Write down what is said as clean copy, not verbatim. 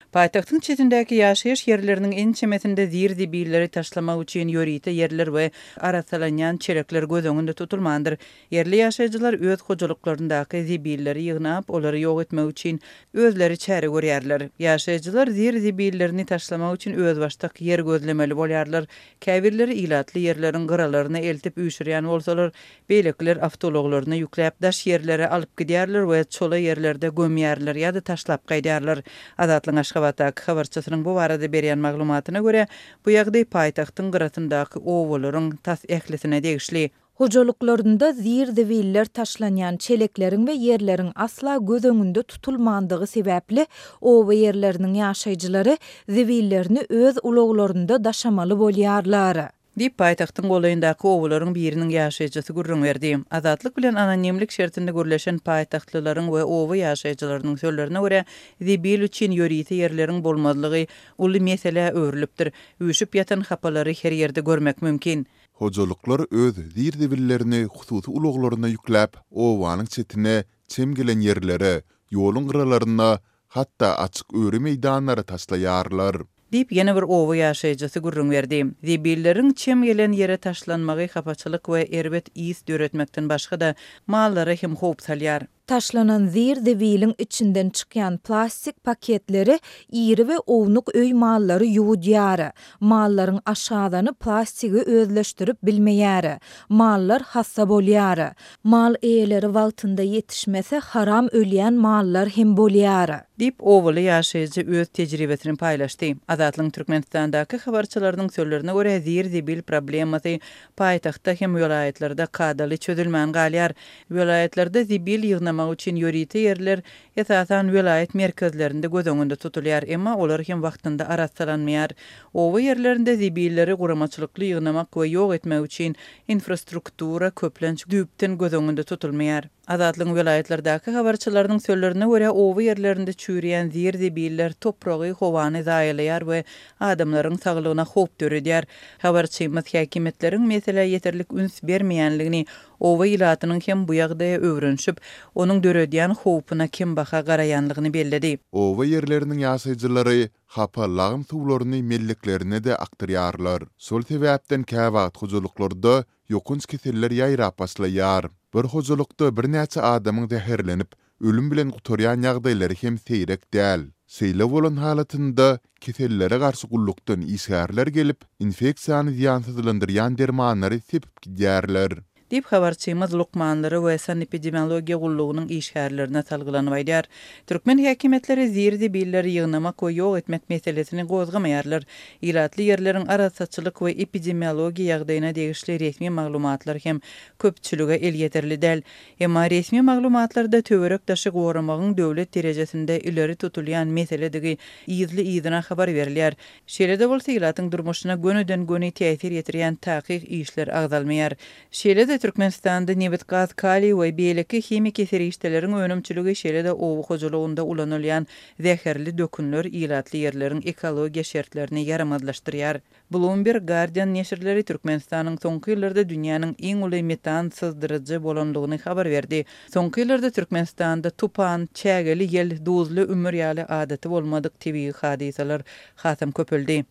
Paýtagtyň çetindäki ýaşaýyş ýerleriniň ençemesinde zir-zibilleri taşlamak üçin ýörite ýerler we arassalanýan çelekler göz öňünde tutulmandyr. Ýerli ýaşaýjylar öz hojalyklaryndaky zibilleri ýygnap, olary ýok etmek üçin özleri çäre görýärler. Ýaşaýjylar zir-zibillerini taşlamak üçin özbaşdak ýer gözlemeli bolýarlar. Käbirleri ilatly ýerleriň gyralaryna eltip üýşürýän bolsalar, beýlekiler awtoulaglaryna ýükläp, daş ýerlere alyp gidýärler we çola ýerlerde gömýärler ýa-da taşlap gaýdýarlar. Azatlygyň Aşgabatdaky habarçysynyň bu barada berýän maglumatyna görä, bu ýagdaý paýtagtyň gyrasyndaky obalaryň tas ählisine degişli. Hojalyklarynda zir-zibiller taşlanýan çelekleriň we ýerleriň asla göz öňünde tutulmandygy sebäpli, oba ýerleriniň ýaşaýjylary zibillerini öz ulaglarynda daşamaly bolýarlar. Diýip, paýtagtyň golaýyndaky obalaryň biriniň ýaşaýjysy gürrüň berdi. Azatlyk bilen anonimlik şertinde gürleşen paýtagtlylaryň we oba ýaşaýjylarynyň sözlerine görä, zibil üçin ýörite ýerleriň bolmazlygy uly meselä öwrülipdir. Üýşüp ýatan hapalary her ýerde görmek mümkin. Hojalyklar öz zir-zibillerini hususy ulaglaryna ýükläp, obanyň çetine, çem gelen ýerlere, ýoluň gyralaryna, hatda açyk öri meýdanlara taşlaýarlar. Diýip, ýene bir oba ýaşaýjysy gürrüň berdi. Zibilleriň çem gelen ýere taşlanmagy hapaçylyk we erbet ys döretmekden başga-da, mallara hem howp salýar. Taşlanan zir-zibiliň içinden çykýan plastik paketleri iri we ownuk öý mallary ýuwudýar. Mallaryň aşgazany plastigi özleşdirip bilmeýär. Mallar hassa bolýar. Mal eýeleri wagtynda ýetişmese haram ölýän mallar hem bolýar. Diýip, obaly ýaşaýjy öz tejribesini paýlaşdy. Azatlygyň Türkmenistandaky habarçylarynyň sözlerine görä, zir-zibil problemasy paýtagtda hem welaýatlarda kadaly çözülmän galýar. Welaýatlarda zibil ýygnamak üçin ýörite ýerler, esasan, welaýat merkezlerinde göz öňünde tutulýar, emma olar hem wagtynda arassalanmaýar. Oba ýerlerinde zibilleri guramaçylykly ýygnamak we ýok etmek üçin infrastruktura köplenç düýpden göz öňünde tutulmaýar. Azatlygyň welaýatlardaky habarçylarynyň sözlerine görä, oba ýerlerinde çüýrýän zir-zibiller topragy, howany zaýalaýar we adamlaryň saglygyna howp döredýär. Habarçymyz häkimiýetleriň meselä ýeterlik üns bermeýänligini, oba ilatynyň hem bu ýagdaýa öwrenişip, onuň döredýän howpuna kembaha garaýanlygyny belledi. Oba ýerleriniň ýaşaýjylary hapa lagym suwlaryny melleklerine-de akdyrýarlar. Şol sebäpden käwagt hojalyklarda ýokanç keseller ýaýrap başlaýar. Bir hojalykda birnäçe adamyň zäherlenip, ölüm bilen gutarýan ýagdaýlary hem seýrek däl. Şeýle bolan halatynda kesellere garşy gullukdan işgärler gelip, infeksiýany zyýansyzlandyrýan dermanlary sepip gidýärler. Diýip, habarçymyz lukmanlara we sanepidemiologiýa gullugynyň işgärlerine salgylanyp aýdýar. Türkmen häkimiýetleri zir-zibilleri ýygnamak we ýok etmek meselesini gozgamaýarlar. Ilatly ýerleriň arassaçylyk we epidemiologiýa ýagdaýyna degişli resmi maglumatlar hem köpçülige elýeterli däl. Emma resmi maglumatlarda töwerek-daşy goramagyň döwlet derejesinde ileri tutulýan meseledigi yzly-yzyna habar berilýär. Şeýle-de bolsa, ilatyň durmuşyna gönüden-göni täsir ýetirýän takyk işler agzalmaýar. Şeýle-de Türkmenistanda nebit-gaz, kaliý we beýleki himiki serişdeleriň önümçiligi, şeýle-de oba hojalygynda ulanylýan zäherli dökünler ilatly ýerleriň ekologiýa şertlerini ýaramazlaşdyrýar. Bloomberg, Guardian neşirleri Türkmenistanyň soňky ýyllarda dünýäniň iň uly metan syzdyryjy bolandygyny habar berdi. Soňky ýyllarda Türkmenistanda tupan, çägeli ýel, duzly ümür ýaly adaty bolmadyk tebigy hadysalar hasam köpeldi.